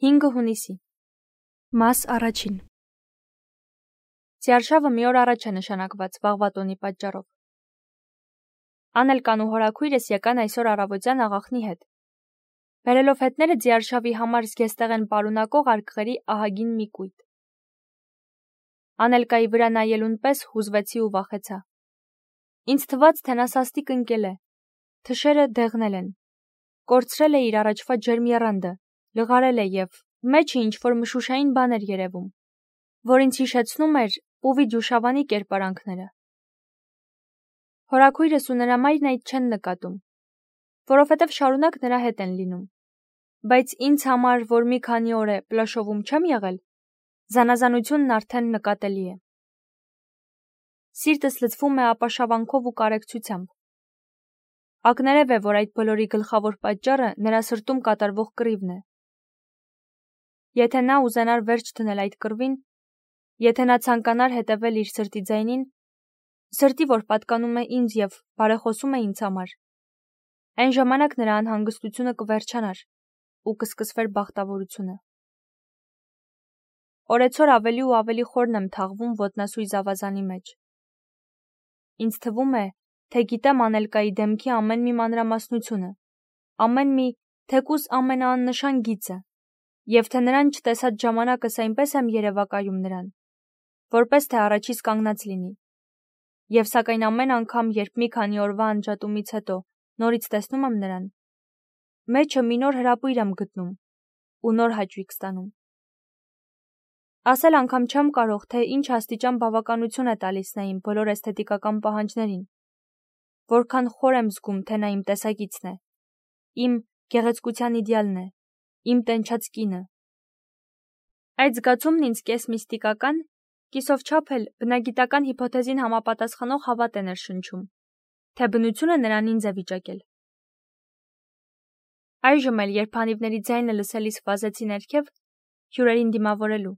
5 հունիսի Մաս առաջին Ձիարշավը մի օր առաջ է նշանակված վաղվա տոնի պատճառով։ Անելկան ու հորաքույրս եկան այսօր առավոտյան աղախնի հետ։ Բերելով հետները ձիարշավի համար զգեստեղ են պարունակող արկղերի ահագին մի կույտ։ Անելկայի վրա նայելուն պես հուզվեցի ու վախեցա։ Ինձ թվաց, թե նա սաստիկ ընկել է, թշերը դեղնել են, կորցրել է իր առաջվա ջերմ եռանդը, լղարել է և մեջը ինչ-որ մշուշային բան էր երևում, որ ինձ հիշեցնում էր Պուվի ջուշավանի կերպարանքները։ Հորաքույրս ու նրա մայրն այդ չեն նկատում, որովհետև շարունակ նրա հետ են լինում, բայց ինձ համար, որ մի քանի օր է Պլաշովում չեմ եղել, զանազանությունն արդեն նկատելի է։ Սիրտս լցվում է ապաշավանքով ու կարեկցությամբ։ Ակներև է, որ այդ բոլորի գլխավոր պատճառը նրա սրտում կատարվող կռիվն է։ Եթե նա ուզենար վերջ դնել այդ կռվին, եթե նա ցանկանար հետևել իր սրտի ձայնին, սրտի, որ պատկանում է ինձ և բարեխոսում է ինձ համար, այն ժամանակ նրա անհանգստությունը կվերջանար ու կսկսվեր բախտավորությունը։ Օրեցօր ավելի ու ավելի խորն եմ թաղվում ոտնասույզ ավազանի մեջ։ Ինձ թվում է, թե գիտեմ Անելկայի դեմքի ամեն մի մանրամասնությունը, ամեն մի թեկուզ ամենաաննշան գիծը, և թե նրան չտեսած ժամանակս այնպես եմ երևակայում նրան, որպես թե առաջիս կանգնած լինի, և սակայն ամեն անգամ, երբ մի քանի օրվա անջատումից հետո նորից տեսնում եմ նրան, մեջը մի նոր հրապույր եմ գտնում ու նոր հաճույք ստանում։ Ասել անգամ չեմ կարող, թե ինչ աստիճան բավականություն է տալիս նա իմ բոլոր էսթետիկական պահանջներին, որքան խոր եմ զգում, թե նա իմ տեսակիցն է, իմ գեղեցկության իդեալն է, իմ տենչած կինը։ Այդ զգացումն ինձ կես միստիկական, կիսով չափ էլ բնագիտական հիփոթեզին համապատասխանող հավատ է ներշնչում, թե բնությունը նրան ինձ է վիճակել։ Այժմ էլ, երբ անիվների ձայնը լսելիս վազեցի ներքև, հյուրերին դիմավորելու,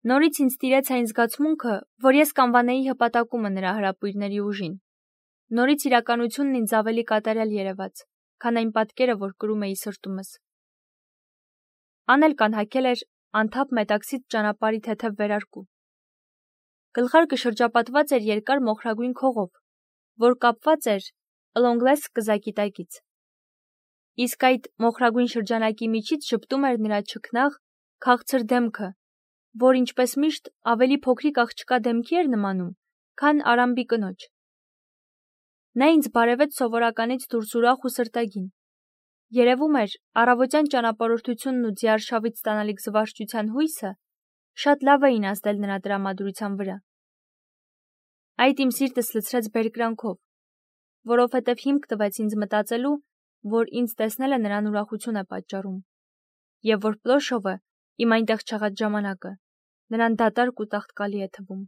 նորից ինձ տիրեց այն զգացմունքը, որ ես կանվանեի հպատակումը նրա հրապույրների ուժին։ Նորից իրականությունն ինձ ավելի կատարյալ երևաց, քան այն պատկերը, որ կրում էի սրտումս։ Անելկան հագել էր անթափ մետաքսից ճանապարհի թեթև վերարկու։ Գլխարկը շրջապատված էր երկար մոխրագույն քողով, որ կապված էր ըլոնգլես կզակի տակից։ Իսկ այդ մոխրագույն շրջանակի միջից շպտում էր նրա չքնաղ, քաղցր դեմքը, որ ինչպես միշտ ավելի փոքրիկ աղջկա դեմքի էր նմանում, քան Արամբի կնոջ։ Նա ինձ բարևեց սովորականից դուրս ուրախ ու սրտագին։ Երևում էր, առավոտյան ճանապարհորդությունն ու ձիարշավից ստանալիք զվարճության հույսը շատ լավ էին ազդել նրա տրամադրության վրա։ Այդ իմ սիրտս լցրեց բերկրանքով, որովհետև հիմք տվեց ինձ մտածելու, որ ինձ տեսնելը նրան ուրախություն է պատճառում, և որ Պլոշովը իմ այնտեղ չեղած ժամանակը նրան դատարկ ու տաղտկալի է թվում։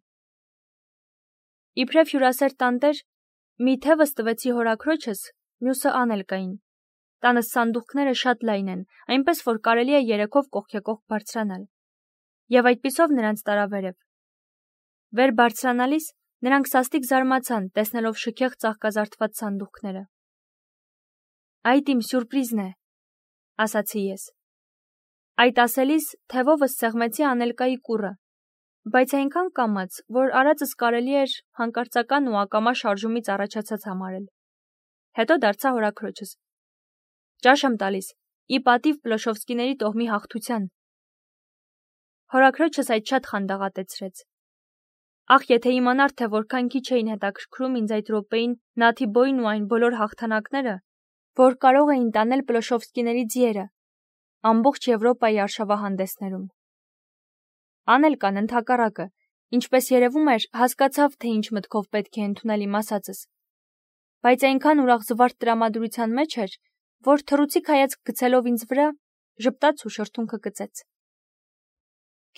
Իբրև հյուրասեր տանտեր, մի թևս տվեցի հորաքրոջս, մյուսը Անելկային։ Տանս սանդուղքները շատ լայն են, այնպես որ կարելի է երեքով կողքեկողք բարձրանալ, և այդպիսով նրանց տարա վերև։ Վեր բարձրանալիս նրանք սաստիկ զարմացան, տեսնելով շքեղ ծաղկազարդված սանդուղքները։ Այդ իմ սյուրպրիզն է, ասացի ես։ Այդ ասելիս թևովս սեղմեցի Անելկայի կուռը, բայց այնքան կամաց, որ արածս կարելի էր հանկարծական ու ակամա շարժումից առաջացած համարել։ Հետո դարձա հորաքրոջս։ Ճաշ եմ տալիս, ի պատիվ Պլոշովսկիների տոհմի հաղթության։ Հորաքրոջս այդ շատ խանդաղատեցրեց։ Ախ, եթե իմանար, թե որքան քիչ էին հետաքրքրում ինձ այդ րոպեին Նաթիբոյն ու այն բոլոր հաղթանակները, որ կարող էին տանել Պլոշովսկիների ձիերը ամբողջ Եվրոպայի արշավահանդեսներում։ Անելկան ընդհակառակը, ինչպես երևում էր, հասկացավ, թե ինչ մտքով պետք է ընդունել իմ ասածս, բայց այնքան ուրախ զվարթ տրամադրության մեջ էր, որ թռուցիկ հայացք գցելով ինձ վրա, ժպտաց ու շրթունքը կծեց։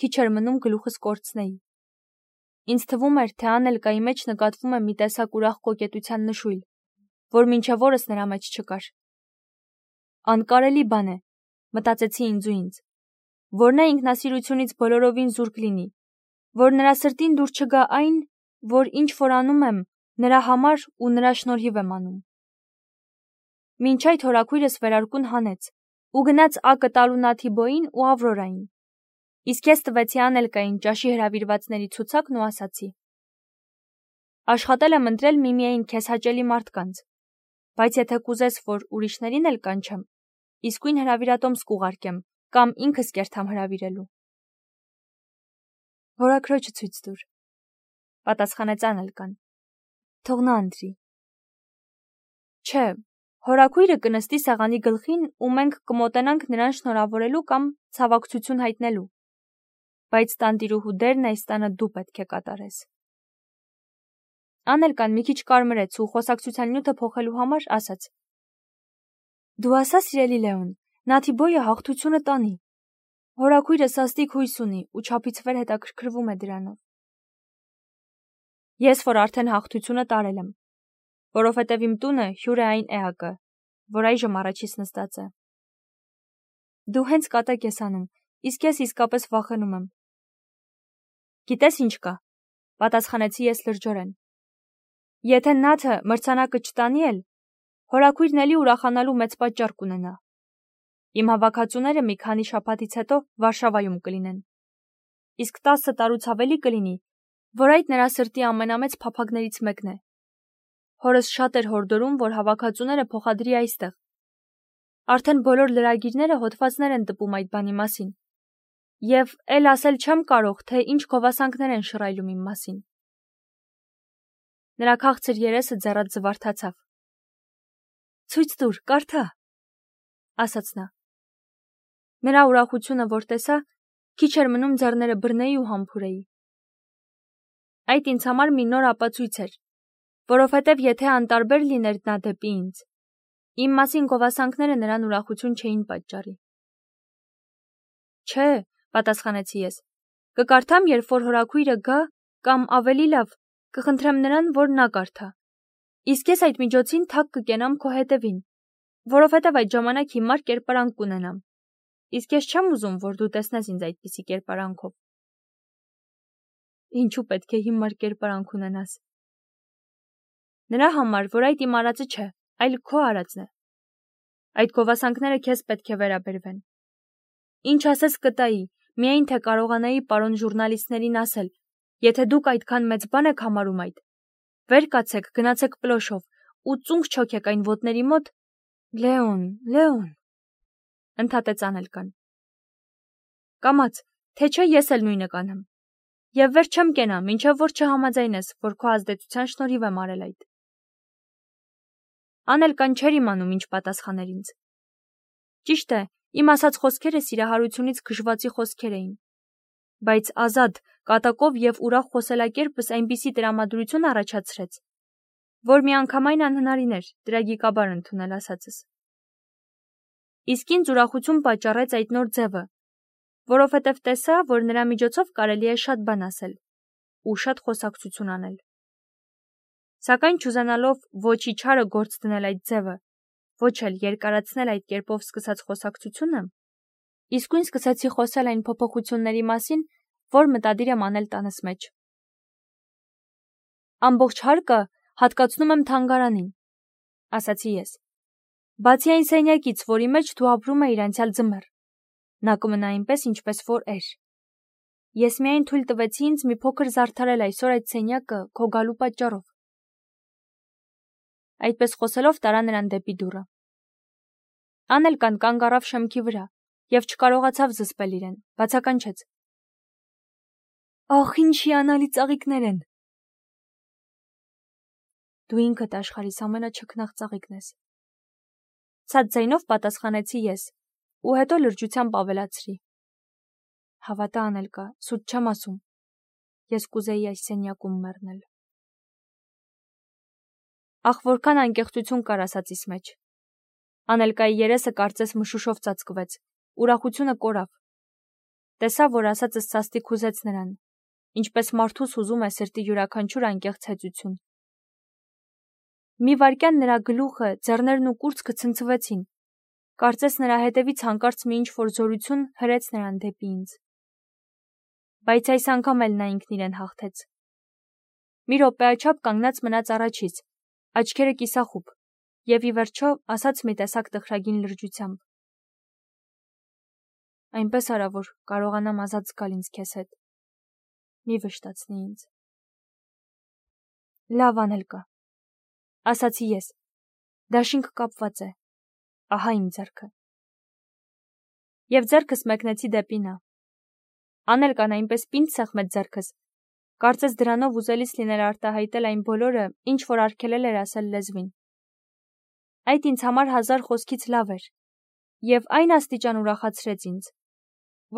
Քիչ էր մնում գլուխս կորցնեի։ Ինձ թվում էր, թե Անելկայի մեջ նկատվում է մի տեսակ ուրախ կոկետության նշույլ, որ մինչև օրս նրա մեջ չկար։ Անկարելի բան է, մտածեցի ինձ ու ինձ, որ նա ինքնասիրությունից բոլորովին զուրկ լինի, որ նրա սրտին դուր չգա այն, որ ինչ որ անում եմ, նրա համար ու նրա շնորհիվ եմ անում։ Մինչ այդ հորաքույրս վերարկուն հանեց ու գնաց ակը տալու Նաթիբոյին ու Ավրորային։ Իսկ ես տվեցի Անելկային ճաշի հրավիրվածների ցուցակն ու ասացի. աշխատել եմ ընտրել միմիային քեզ հաճելի մարդկանց, բայց եթե կուզես, որ ուրիշներին էլ կանչեմ, իսկույն հրավիրատոմս կուղարկեմ կամ ինքս կերթամ հրավիրելու։ Հորաքրոջը ցույց տուր, պատասխանեց Անելկան։ Թող նա ընտրի։ Չէ, հորաքույրը կնստի սեղանի գլխին ու մենք կմոտենանք նրան շնորհավորելու կամ ցավակցություն հայտնելու, բայց տանտիրուհու դերն այս տանը դու պետք է կատարես։ Անելկան մի քիչ կարմրեց ու խոսակցության նյութը փոխելու համար ասաց. Դու ասա, սիրելի Լեոն, Նաթիբոյը հաղթությունը տանի։ Հորաքույրը սաստիկ հույս ունի ու չափից վեր հետաքրքրվում է դրանով։ Ես որ արդեն հաղթությունը տարել եմ, որովհետև իմ տունը հյուր է այն էակը, որ այժմ առաջից նստած է։ Դու հենց կատակ ես անում, իսկ ես իսկապես վախենում եմ։ Գիտես ինչ կա, պատասխանեցի ես լրջորեն։ Եթե Նաթը մրցանակը չտանի էլ, հորաքույրն էլի ուրախանալու մեծ պատճառ կունենա։ Իմ հավաքածուները մի քանի շաբաթից հետո Վարշավայում կլինեն։ Իսկ 10 տարուց ավելի կլինի, որ այդ նրա սրտի ամենամեծ փափագներից մեկն է։ Հորս շատ էր հորդորում, որ հավաքածուները փոխադրի այստեղ։ Արդեն բոլոր լրագիրները հոդվածներ են տպում այդ բանի մասին։ Եվ էլ ասել չեմ կարող, թե ինչ գովասանքներ են շռայլում իմ մասին։ Նրա քաղցր երեսը ձեռած զվարթացավ։ Ցույց տուր, կարդա, ասաց նա։ Նրա ուրախությունը, որ տեսա, քիչ էր մնում ձեռները բռնեի ու համբուրեի։ Այդ ինձ համար մի նոր ապացույց էր, որովհետև եթե անտարբեր լիներ նա դեպի ինձ, իմ մասին գովասանքները նրան ուրախություն չէին պատճառի։ Չէ, պատասխանեցի ես, կկարդամ, երբ որ հորաքույրը գա, կամ ավելի լավ, կխնդրեմ նրան, որ նա կարդա։ Իսկ ես այդ միջոցին թակ կկենամ քո հետևին, որովհետև այդ ժամանակ հիմար կերպարանք կունենամ։ Իսկ ես չեմ ուզում, որ դու տեսնես ինձ այդպիսի կերպարանքով։ Ինչու պետք է հիմար կերպարանք ունենաս։ Նրա համար, որ այդ իմ արածը չէ, այլ քո արածն է։ Այդ գովասանքները քեզ պետք է վերաբերվեն։ Ինչ ասես կտայի, միայն թե կարողանայի պարոն ժուրնալիստներին ասել, եթե դուք այդքան մեծ բան եք համարում այդ, վեր կացեք, գնացեք պլոշով ու ծունկ չոքեք այն ոտների մոտ, Լեոն, ընդհատեց Անելկան։ Կամաց, թե չէ ես էլ նույնը կանեմ։ Եվ վեր չեմ կենա, մինչև որ չհամաձայնես, որ քո ազդեցության շնորհիվ եմ արել այդ։ Անելկան չէր իմանում ինչ պատասխաներ ինձ։ Ճիշտ է, իմ ասած խոսքերը սիրահարությունից քշվածի խոսքեր էին։ Բայց ազատ, կատակով եւ ուրախ խոսելակերպս այնպիսի տրամադրություն առաջացրեց, որ միանգամայն անհնարին էր տրագիկաբար ընդունել ասածս։ Իսկ ինձ ուրախություն պատճառեց այդ նոր ձևը, որովհետև տեսա, որ նրա միջոցով կարելի է շատ բան ասել ու շատ խոսակցություն անել։ Սակայն չուզենալով ոչ իչարը գործ դնել այդ ձևը, ոչ էլ երկարացնել այդ կերպով սկսած խոսակցությունը, իսկույն սկսեցի խոսել այն փոփոխությունների մասին, որ մտադիր եմ անել տանս մեջ։ Ամբողջ հարկը հատկացնում եմ թանգարանին, ասացի ես։ Բացի այն սենյակից, որի մեջ դու ապրում էիր անցյալ ձմեռ, նա կմնա այնպես, ինչպես որ էր։ Ես միայն թույլ տվեցի ինձ մի փոքր զարդարել այսօր այդ սենյակը քո գալու պատճառով։ Այդպես խոսելով տարա նրան դեպի դուռը։ Անելկան կանգ առավ շեմքի վրա և չկարողացավ զսպել իրեն, բացականչեց. Ախ, ինչ հիանալի ծաղիկներ են։ Դու ինքդ աշխարհիս ամենաչքնաղ ծաղիկն ես։ Ցած ձայնով պատասխանեցի ես ու հետո լրջությամբ ավելացրի. Հավատա, Անելկա, սուտ չեմ ասում։ Ես կուզեի այս սենյակում մեռնել։ Ախ, որքան անկեղծություն կար ասածիս մեջ։ Անելկայի երեսը կարծես մշուշով ծածկվեց, ուրախությունը կորավ։ Տեսա, որ ասածս սաստիկ հուզեց նրան, ինչպես մարդուս հուզում է սրտի յուրաքանչյուր անկեղծ հեծություն։ Մի վայրկյան նրա գլուխը, ձեռներն ու կուրծքը ցնցվեցին։ Կարծես նրա հետևից հանկարծ մի ինչ-որ զորություն հրեց նրան դեպի ինձ։ Բայց այս անգամ էլ նա ինքն իրեն հաղթեց։ Մի րոպեաչափ կանգնած մնաց առաջից, աչքերը կիսախուբ, և ի վերջո ասաց մի տեսակ տխրագին լրջությամբ. այնպես արա, որ կարողանամ ազատ զգալ ինձ քեզ հետ։ Մի վշտացնի ինձ։ Լավ անել կա, ասացի ես, դաշինք կապված է, ահա իմ ձեռքը։ Եվ ձեռքս մեկնեցի դեպի նա։ Անել կան այնպես պինդ սեղմեց ձեռքս, կարծես դրանով ուզելիս լիներ արտահայտել այն բոլորը, ինչ որ արգելել էր ասել լեզվին։ Այդ ինձ համար 1000 խոսքից լավ էր, և այն աստիճան ուրախացրեց ինձ,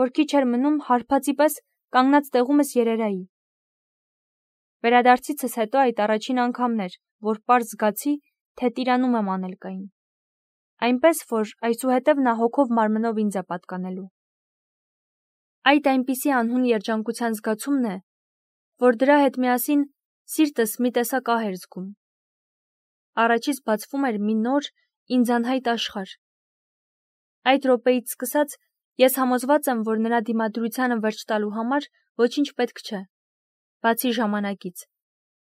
որ քիչ էր մնում հարբածի պես կանգնած տեղումս երերայի։ Վերադարձիցս հետո այդ առաջին անգամն էր, որ պարզ զգացի, թե տիրանում եմ Անելկային։ Այնպես, որ այսուհետև նա հոգով մարմնով ինձ է պատկանելու։ Այդ այնպիսի անհուն երջանկության զգացումն է, որ դրա հետ միասին սիրտս մի տեսակ ահ էր զգում։ Առաջից բացվում էր մի նոր, ինձ անհայտ աշխարհ։ Այդ րոպեից սկսած ես համոզված եմ, որ նրա դիմադրությանը վերջ տալու համար ոչինչ պետք չէ, բացի ժամանակից,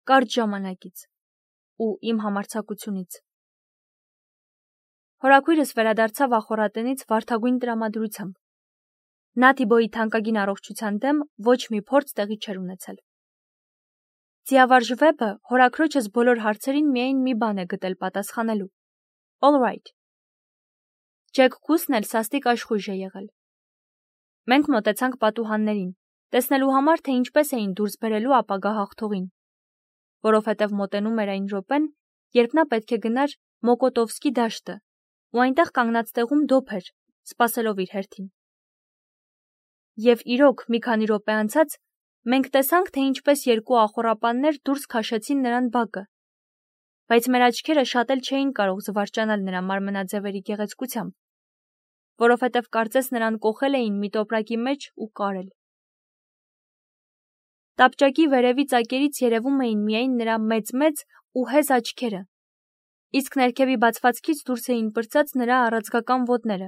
կարճ ժամանակից ու իմ համարձակությունից։ Հորաքույրս վերադարձավ ախոռատնից վարդագույն տրամադրությամբ։ Նա Թիբոյի թանկագին առողջության դեմ ոչ մի փորձ տեղի չէր ունեցել։ Ձիավարժ Վեբը հորաքրոջս բոլոր հարցերին միայն մի բան է գտել պատասխանելու. All right։ Ջեք Քուսն էլ սաստիկ աշխույժ է եղել։ Մենք մոտեցանք պատուհաններին, տեսնելու համար, թե ինչպես էին դուրս բերելու ապագա հաղթողին, որովհետև մոտենում էր այն րոպեն, երբ նա պետք է գնար Մոկոտովսկի դաշտը, ու այնտեղ կանգնած տեղում դոփ էր, սպասելով իր հերթին։ Եվ իրոք, մի քանի րոպե անցած, մենք տեսանք, թե ինչպես երկու ախոռապաններ դուրս քաշեցին նրան բակը, բայց մեր աչքերը շատ էլ չէին կարող զվարճանալ նրա մարմնաձևերի գեղեցկությամբ, որովհետև կարծես նրան կոխել էին մի տոպրակի մեջ ու կարել։ Տապճակի վերևի ծակերից երևում էին միայն նրա մեծ ու հեզ աչքերը, իսկ ներքևի բացվածքից դուրս էին պրծած նրա առաձգական ոտները,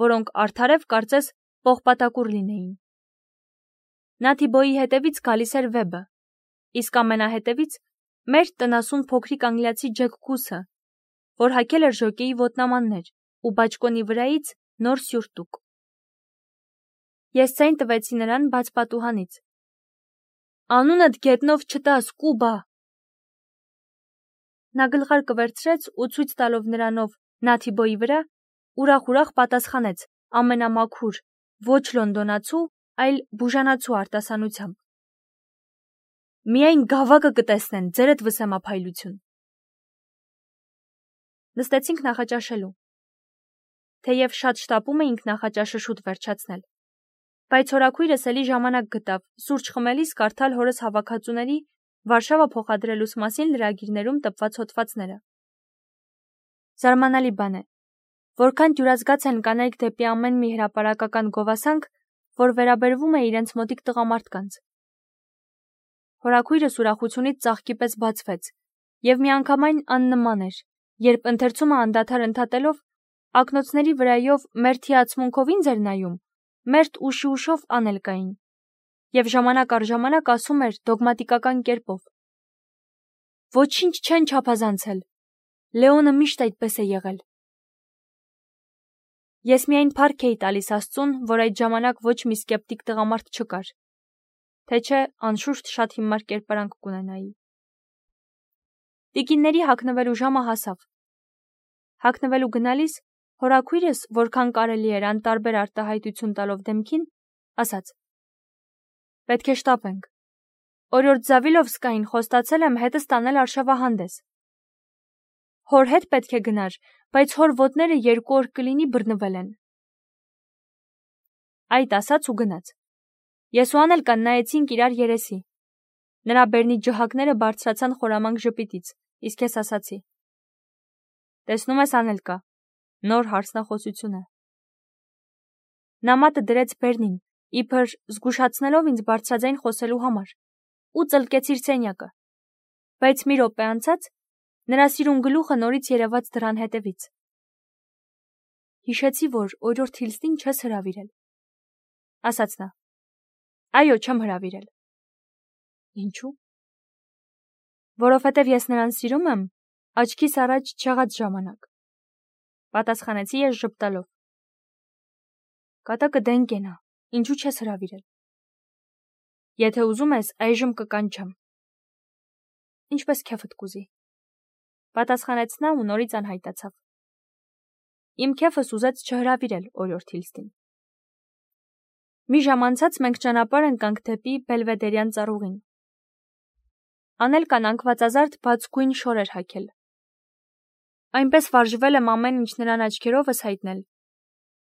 որոնք արդարև կարծես պողպատակուռ լինեին։ Նա Թիբոյի հետևից գալիս էր Վեբը, իսկ ամենահետևից մեր տնասուն փոքրիկ անգլիացի Ջեք Քուսը, որ հագել էր ժոկեի ոտնամաններ ու բաճկոնի վրայից նոր սյուրտուկ։ Ես ցայն տվեցի նրան բաց պատուհանից։ Անունդ գետնով չտաս, Կուբա։ Նա գլխարկը վերցրեց ու ցույց տալով նրանով նա Թիբոյի վրա, ուրախ պատասխանեց ամենամաքուր, ոչ լոնդոնացու, այլ բուժանացու արտասանությամբ։ Միայն գավակը կտեսնեն, ձերդ վսեմափայլություն։ Նստեցինք նախաճաշելու։ Թեև շատ շտապում էինք նախաճաշը շուտ վերջացնել, բայց հորաքույրս էլի ժամանակ գտավ սուրճ խմելիս կարդալ հորս հավաքածուների Վարշավա փոխադրելուց մասին լրագիրներում տպված հոդվածները։ Զարմանալի բան է, որքան դյուրազգաց են կանայք դեպի ամեն մի հրապարակական գովասանք, որ վերաբերվում է իրենց մոտիկ տղամարդկանց։ Հորաքույրս ուրախությունից ծաղկի պես բացվեց, և միանգամայն աննման էր, երբ ընթերցումը անդադար ընդհատելով, ակնոցների վրայով մերթ հիացմունքով ինձ էր նայում, մերթ ուշով Անելկային, և ժամանակ առ ժամանակ ասում էր դոգմատիկական կերպով. Ոչինչ չեն չափազանցել, Լեոնը միշտ այդպես է եղել։ Ես միայն փառք էի տալիս Աստծուն, որ այդ ժամանակ ոչ մի սկեպտիկ տղամարդ չկար, թե չէ անշուշտ շատ հիմար կերպարանք կունենայի։ Տիկինների հագնվելու ժամը հասավ։ Հագնվելու գնալիս հորաքույրս, որքան կարելի էր անտարբեր արտահայտություն տալով դեմքին, ասաց. Պետք է շտապենք։ Օրորդ Զավիլովսկային խոստացել եմ հետս տանել արշավահանդես։ Հոր հետ պետք է գնար, բայց հոր ոտները 2 օր կլինի բռնվել են։ Այդ ասաց ու գնաց։ Ես ու Անելկան նայեցինք իրար երեսի։ Նրա բերնի ջհակները բարձրացան խորամանկ ժպիտից, իսկ ես ասացի. Տեսնում ես, Անելկա, նոր հարցնախոսություն է։ Նա մատը դրեց բերնին, իբր զգուշացնելով ինձ բարձրաձայն խոսելու համար, ու ծլկեց իր սենյակը, բայց մի րոպե անցած նրա սիրուն գլուխը նորից երևաց դռան հետևից։ Հիշեցի, որ օրորդ Հիլստին չես հրավիրել, ասաց նա։ Այո, չեմ հրավիրել։ Ինչու՞։ Որովհետև ես նրան սիրում եմ աչքիս առաջ չեղած ժամանակ, պատասխանեցի ես ժպտալով։ Կատակը դեն կենա, ինչու չես հրավիրել։ Եթե ուզում ես, այժմ կկանչեմ։ Ինչպես քեֆդ կուզի։ Պատասխանեց նա ու նորից անհայտացավ։ Իմ քեֆս ուզեց չհրավիրել օրիորդ Հիլստին։ Մի ժամ անցած մենք ճանապարհ ընկանք դեպի Բելվեդերյան ծառուղին։ Անելկան անկվածազարդ բաց գույն շոր էր հագել։ Այնպես վարժվել եմ ամեն ինչ նրան աչքերովս հայտնել,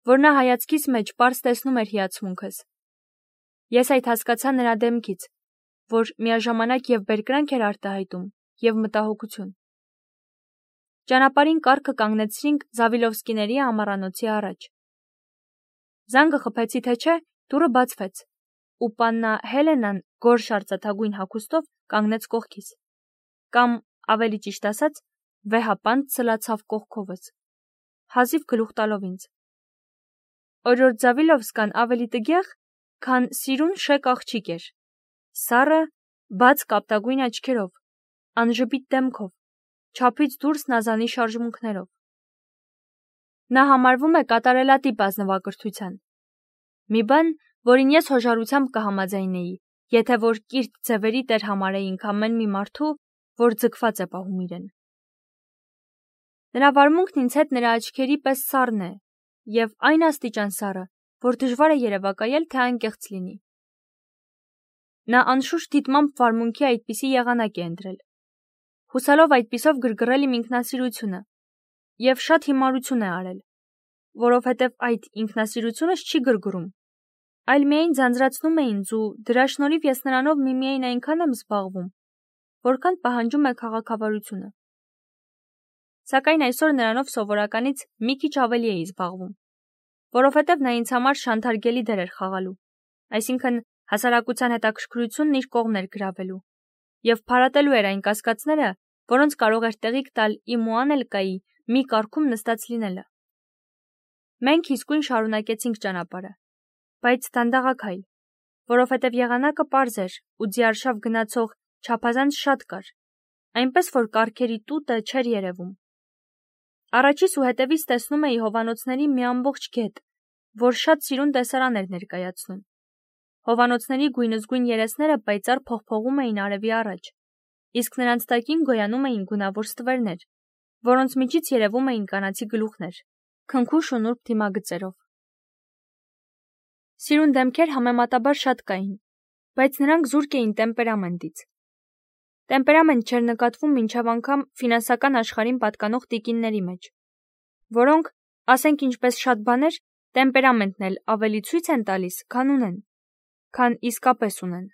որ նա հայացքիս մեջ պարզ տեսնում էր հիացմունքս։ Ես այդ հասկացա նրա դեմքից, որ միաժամանակ եւ բերկրանք էր արտահայտում, եւ մտահոգություն։ Ճանապարհին կառքը կանգնեցրինք Զավիլովսկիների ամառանոցի առաջ։ Զանգը խփեցի թե չէ, դուռը բացվեց, ու պաննա Հելենան գորշ արծաթագույն հագուստով կանգնեց կողքիս։ Կամ, ավելի ճիշտ ասած, վեհապանտ ցլացավ կողքովս, հազիվ գլուխ տալով ինձ։ Օրիորդ Զավիլովսկան ավելի տգեղ, քան սիրուն շեք աղջիկ էր, սառը, բաց կապտագույն աչքերով, անժպիտ դեմքով, չափից դուրս նազանի շարժմունքներով։ Նա համարվում է կատարելատիպ ազնվակրթության։ Մի բան, որին ես հոժարությամբ կհամաձայնեի, եթե որ կիրթ ձևերի տեր համարեինք ամեն մի մարդու, որ ձգված է պահում իրեն։ Նրա վարմունքն ինձ հետ նրա աչքերի պես սառն է, եւ այն աստիճան սառը, որ դժվար է երևակայել, թե անկեղծ լինի։ Նա անշուշտ դիտմամբ վարմունքի այդպիսի եղանակ է ընտրել, հուսալով այդպիսով գրգռել իմ ինքնասիրությունը, եւ շատ հիմարություն է արել, որովհետեւ այդ ինքնասիրությունս չի գրգռում, այլ միայն ձանձրացնում է ինձ ու դրա շնորհիվ ես նրանով միմիայն այնքան եմ զբաղվում, որքան պահանջում է քաղաքավարությունը։ Սակայն այսօր նրանով սովորականից մի քիչ ավելի էի զբաղվում, որովհետև նա ինձ համար շանթարգելի դեր էր խաղալու, այսինքն հասարակության հետաքրքրությունն իր կողմն էր գրավելու, եւ փարատելու էր այն կասկածները, որոնց կարող էր տեղիք տալ իմ ու Անելկայի մի կարգում նստած լինելը։ Մենք իսկույն շարունակեցինք ճանապարհը, բայց դանդաղաքայլ, որովհետև եղանակը պարզ էր ու ձիարշավ գնացող չափազանց շատ կար, այնպես որ կառքերի տուտը չէր երևում։ Առաջիս ու հետևից տեսնում էի հովանոցների մի ամբողջ գետ, որ շատ սիրուն տեսարան էր ներկայացնում։ Հովանոցների գույնզգույն երեսները պայծառ փողփողում էին արևի առաջ, իսկ նրանց տակին գոյանում էին գունավոր ստվերներ, որոնց միջից երևում էին կանացի գլուխներ, քնքուշ ու նուրբ դիմագծերով։ Սիրուն դեմքեր համեմատաբար շատ կային, բայց նրանք զուրկ էին տեմպերամենտից։ Տեմպերամենտ չէր նկատվում մինչև անգամ ֆինանսական աշխարհին պատկանող տիկինների մեջ, որոնք, ասենք ինչպես շատ բաներ, տեմպերամենտն էլ ավելի ցույց են տալիս, քան ունեն, քան իսկապես ունեն։